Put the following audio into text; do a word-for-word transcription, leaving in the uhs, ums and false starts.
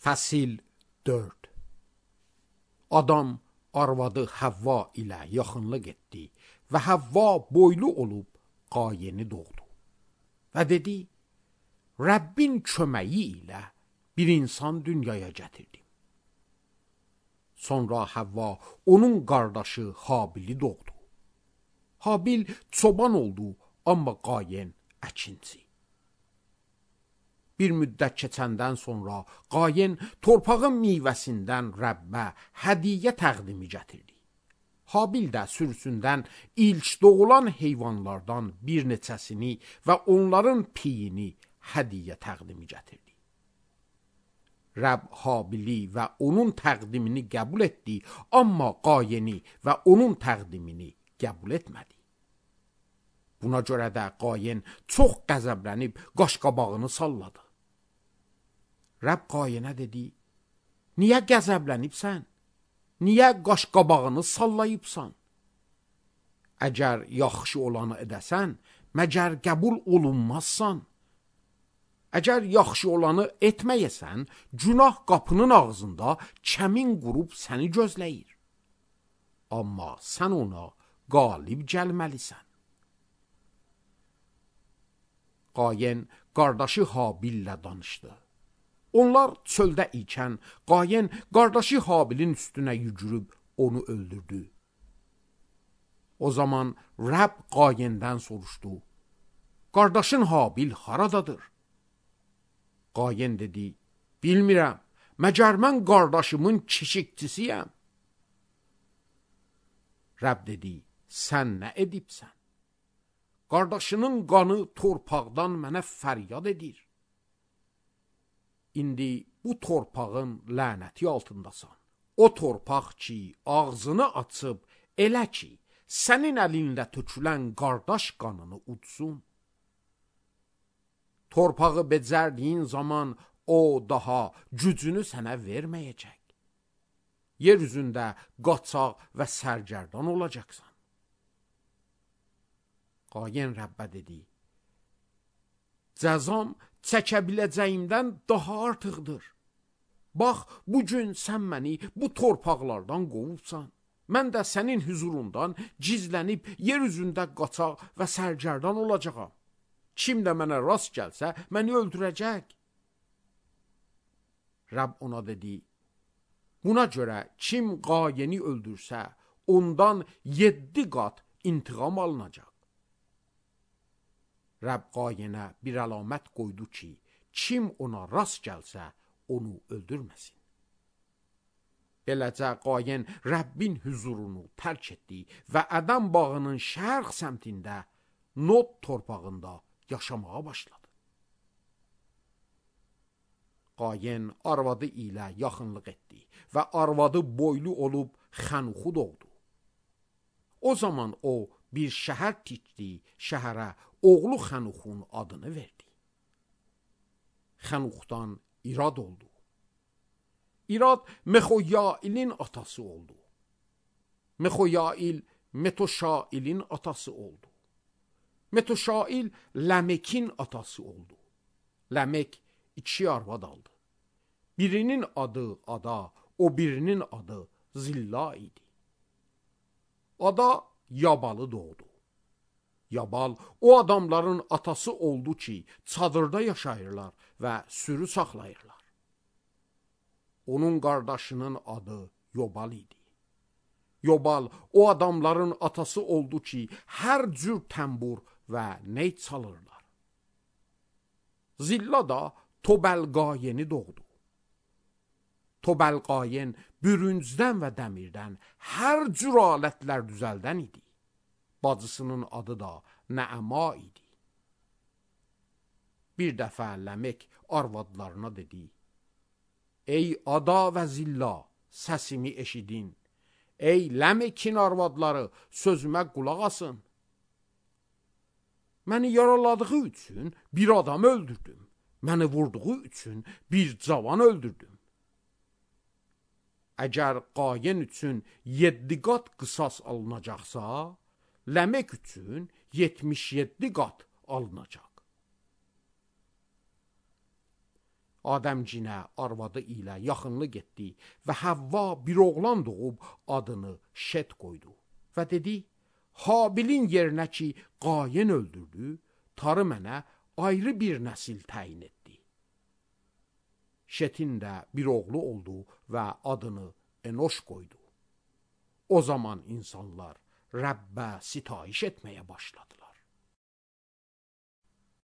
Fəsil dörd. Adam arvadı Havva ilə yaxınlıq etdi və Havva boylu olub Qayeni doğdu. Və dedi, Rəbbin köməyi ilə bir insan dünyaya gətirdim. Sonra Havva onun qardaşı Habili doğdu. Habil çoban oldu, amma Qayen əkinçi. Bir müddət keçəndən sonra Qayen torpağın meyvəsindən Rəbbə hədiyyə təqdimi gətirdi. Habil də sürüsündən ilk doğulan heyvanlardan bir neçəsini və onların piyini hədiyyə təqdimi gətirdi. Rəbb Habili və onun təqdimini qəbul etdi, amma Qayeni və onun təqdimini qəbul etmədi. Buna görə də Qayen çox qəzəblənib qaşqabağını salladı. Rəbb Qayenə dedi, niyə qəzəblənibsən? Niyə qaşqabağını sallayıbsan? Əgər yaxşı olanı edəsən, məgər qəbul olunmazsan? Əgər yaxşı olanı etməyəsən, günah qapının ağzında kəmin qurub səni gözləyir. Amma sən ona qalib gəlməlisən. Qayen qardaşı Habillə danışdı. Onlar çöldə ikən Qayen qardaşı Habilin üstünə yügürüb onu öldürdü. O zaman Rəbb Qayendən soruşdu, qardaşın Habil haradadır? Qayen dedi, bilmirəm, məgər mən qardaşımın keşikçisiyəm. Rəbb dedi, sən nə edibsən? Qardaşının qanı torpaqdan mənə fəryad edir. İndi bu torpağın lənəti altındasan. O torpaq ki, ağzını açıb, elə ki, sənin əlində tökülən qardaş qanını udsun. Torpağı becərdiyin zaman o daha gücünü sənə verməyəcək. Yer üzündə qaçaq və sərgərdan olacaqsan. Qayen Rəbbə dedi, cəzam çəkə biləcəyimdən daha artıqdır. Bax, bugün sən məni bu torpaqlardan qovubsan. Mən də sənin huzurundan gizlənib yer üzündə qaçaq və sərgərdan olacağam. Kim də mənə rast gəlsə, məni öldürəcək. Rəbb ona dedi, buna görə kim Qayeni öldürsə, ondan yeddi qat intiqam alınacaq. Rəbb Qayenə bir əlamət qoydu ki, kim ona rast gəlsə, onu öldürməsin. Beləcə Qayen Rəbbin huzurunu tərk etdi və Ədəm bağının şərq səmtində Nod torpağında yaşamağa başladı. Qayen arvadı ilə yaxınlıq etdi və arvadı boylu olub Xənuxu doğdu. O zaman o bir şəhər tikdi, şəhərə oğlu Xənuxun adını verdi. Xənuxdan İrad oldu. İrad Mexoyailin atası oldu. Mexoyail Metoşailin atası oldu. Metoşail Ləmekin atası oldu. Ləmek iki arvad aldı. Birinin adı Ada, o birinin adı Zilla idi. Ada Yabalı doğdu. Yabal o adamların atası oldu ki, çadırda yaşayırlar və sürü saxlayırlar. Onun qardaşının adı Yobal idi. Yobal o adamların atası oldu ki, hər cür təmbur və ney çalırlar. Zilla da Tobəlqayeni doğdu. Tobəlqayen bürüncdən və dəmirdən hər cür alətlər düzəldən idi. Bacısının adı da Nəəma idi. Bir dəfə Ləmek arvadlarına dedi, ey Ada və Zilla, səsimi eşidin. Ey Ləmekin arvadları, sözümə qulaq asın. Məni yaraladığı üçün bir adam öldürdüm. Məni vurduğu üçün bir cavan öldürdüm. Əgər Qayen üçün yeddi qat qisas alınacaqsa, Ləmek üçün yetmiş yeddi qat alınacaq. Adəmcinə arvadı ilə yaxınlıq getdi və Həvva bir oğlan doğub adını Şet qoydu. Və dedi, Habilin yerinə ki, Qayin öldürdü, tarı mənə ayrı bir nəsil təyin etdi. Şetin də bir oğlu oldu və adını Enoş qoydu. O zaman insanlar Rəbbə sitayiş etməyə başladılar.